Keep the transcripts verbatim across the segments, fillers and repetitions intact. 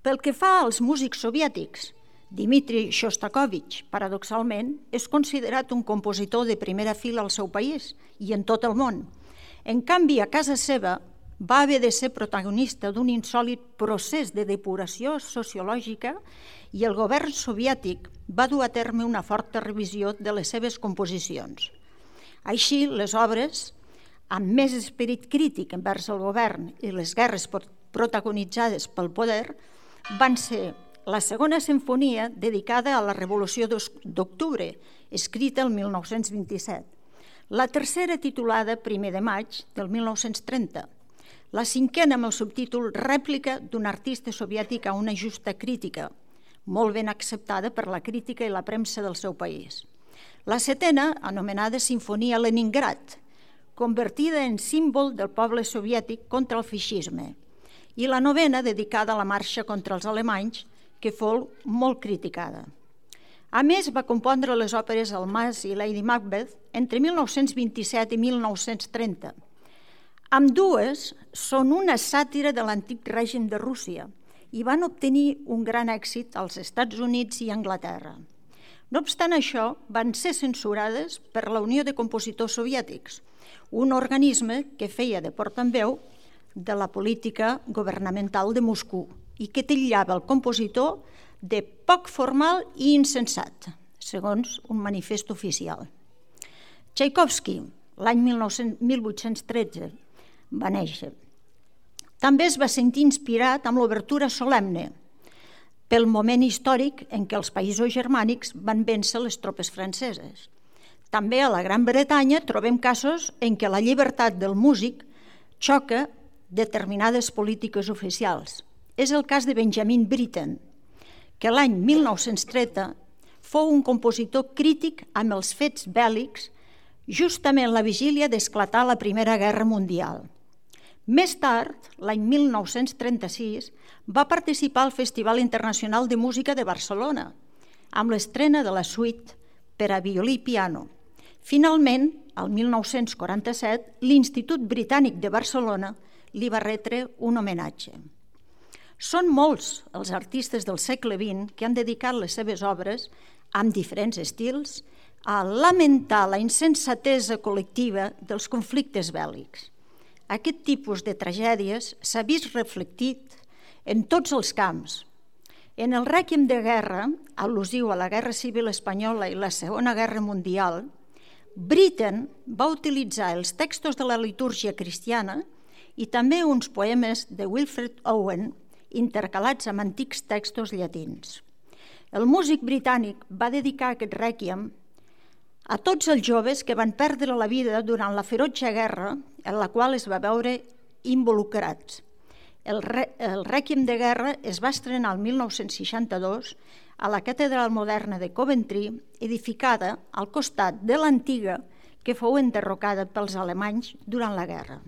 Pel que fa als músics soviètics, Dmitri Shostakovich, paradoxalment, és considerat un compositor de primera fila al seu país i en tot el món. En canvi, a casa seva va haver de ser protagonista d'un insòlit procés de depuració sociològica i el govern soviètic va dur a terme una forta revisió de les seves composicions. Així, les obres, amb més esperit crític envers el govern i les guerres protagonitzades pel poder, van ser la segona simfonia dedicada a la Revolució d'Octubre, escrita el mil nou-cents vint-i-set, la tercera titulada Primer de maig del mil nou-cents trenta, la cinquena amb el subtítol Rèplica d'un artista soviètic a una justa crítica, molt ben acceptada per la crítica i la premsa del seu país. La setena, anomenada Sinfonia Leningrad, convertida en símbol del poble soviètic contra el feixisme, i la novena, dedicada a la marxa contra els alemanys, que fou molt criticada. A més, va compondre les òperes El Mas i Lady Macbeth entre mil nou-cents vint-i-set i mil nou-cents trenta. Ambdues són una sàtira de l'antic règim de Rússia i van obtenir un gran èxit als Estats Units i Anglaterra. No obstant això, van ser censurades per la Unió de Compositors Soviètics, un organisme que feia de portaveu de la política governamental de Moscou i que titllava el compositor de poc formal i insensat, segons un manifest oficial. Tchaikovsky, l'any mil vuit-cents tretze, va néixer. També es va sentir inspirat amb l'obertura solemne pel moment històric en què els països germànics van vèncer les tropes franceses. També a la Gran Bretanya trobem casos en què la llibertat del músic xoca determinades polítiques oficials. És el cas de Benjamin Britten, que l'any mil nou-cents trenta fou un compositor crític amb els fets bèl·lics justament la vigília d'esclatar la Primera Guerra Mundial. Més tard, l'any mil nou-cents trenta-sis, va participar al Festival Internacional de Música de Barcelona, amb l'estrena de la suite per a violí i piano. Finalment, el mil nou-cents quaranta-set, l'Institut Britànic de Barcelona li va retre un homenatge. Són molts els artistes del segle vint que han dedicat les seves obres, amb diferents estils, a lamentar la insensatesa col·lectiva dels conflictes bèl·lics. Aquest tipus de tragèdies s'ha vist reflectit en tots els camps. En el Rèquiem de guerra, al·lusiu a la Guerra Civil Espanyola i la Segona Guerra Mundial, Britten va utilitzar els textos de la litúrgia cristiana i també uns poemes de Wilfred Owen intercalats amb antics textos llatins. El músic britànic va dedicar aquest rèquiem a tots els joves que van perdre la vida durant la ferotge guerra en la qual es va veure involucrats. El, el Rèquiem de guerra es va estrenar el mil nou-cents seixanta-dos a la Catedral Moderna de Coventry, edificada al costat de l'antiga que fou enderrocada pels alemanys durant la guerra.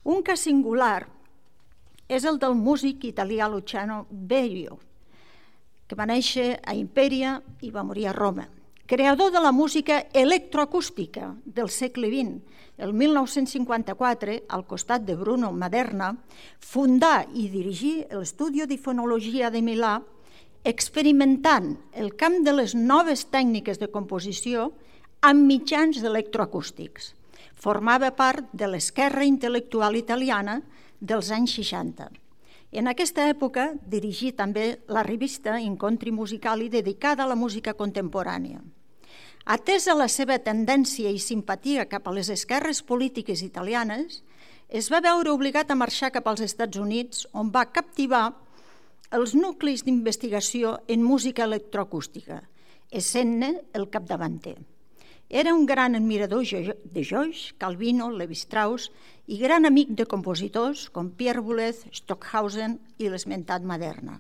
Un cas singular és el del músic italià Luciano Berio, que va néixer a Imperia i va morir a Roma. Creador de la música electroacústica del segle vint, el mil nou-cents cinquanta-quatre, al costat de Bruno Maderna, fundà i dirigí l'Estudio di Fonologia de Milà, experimentant el camp de les noves tècniques de composició amb mitjans electroacústics. Formava part de l'esquerra intel·lectual italiana dels anys seixanta. En aquesta època dirigí també la revista Incontri Musicali dedicada a la música contemporània. Atesa la seva tendència i simpatia cap a les esquerres polítiques italianes, es va veure obligat a marxar cap als Estats Units, on va captivar els nuclis d'investigació en música electroacústica, essent-ne el capdavanter. Era un gran admirador de Joyce, Calvino, Lévi-Strauss i gran amic de compositors com Pierre Boulez, Stockhausen i l'esmentat Maderna.